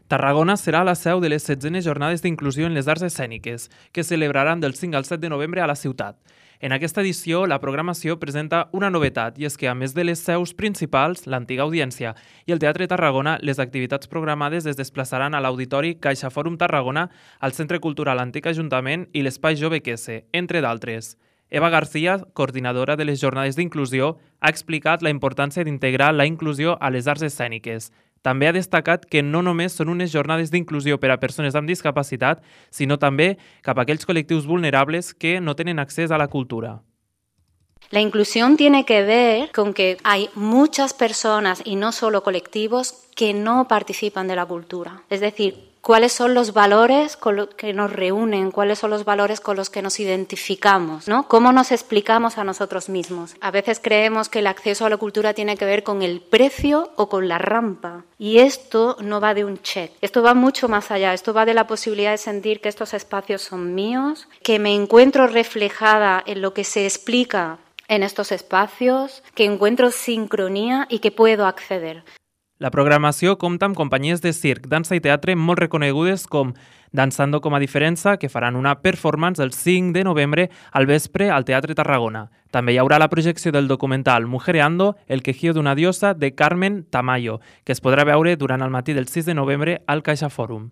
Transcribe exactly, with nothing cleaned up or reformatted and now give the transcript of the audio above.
Tarragona serà la seu de les setzenes jornades d'inclusió en les arts escèniques, que es celebraran del cinc al set de novembre a la ciutat. En aquesta edició, la programació presenta una novetat, i és que, a més de les seus principals, l'antiga Audiència i el Teatre Tarragona, les activitats programades es desplaçaran a l'Auditori CaixaForum Tarragona, al Centre Cultural Antic Ajuntament i l'Espai Jove Quese, entre d'altres. Eva García, coordinadora de les jornades d'inclusió, ha explicat la importància d'integrar la inclusió a les arts escèniques. També ha destacat que no només són unes jornades d'inclusió per a persones amb discapacitat, sinó també cap a aquells col·lectius vulnerables que no tenen accés a la cultura. La inclusión tiene que ver con que hay muchas personas, y no solo colectivos, que no participan de la cultura. Es decir, cuáles son los valores con los que nos reúnen, cuáles son los valores con los que nos identificamos, ¿no? Cómo nos explicamos a nosotros mismos. A veces creemos que el acceso a la cultura tiene que ver con el precio o con la rampa. Y esto no va de un check, esto va mucho más allá, esto va de la posibilidad de sentir que estos espacios son míos, que me encuentro reflejada en lo que se explica en estos espacios, que encuentro sincronía y que puedo acceder. La programació compta amb companyies de circ, dansa i teatre molt reconegudes com Dansando com a Diferença, que faran una performance el cinc de novembre al vespre al Teatre Tarragona. També hi haurà la projecció del documental Mujereando, el quejío d'una diosa de Carmen Tamayo, que es podrà veure durant el matí del sis de novembre al CaixaForum.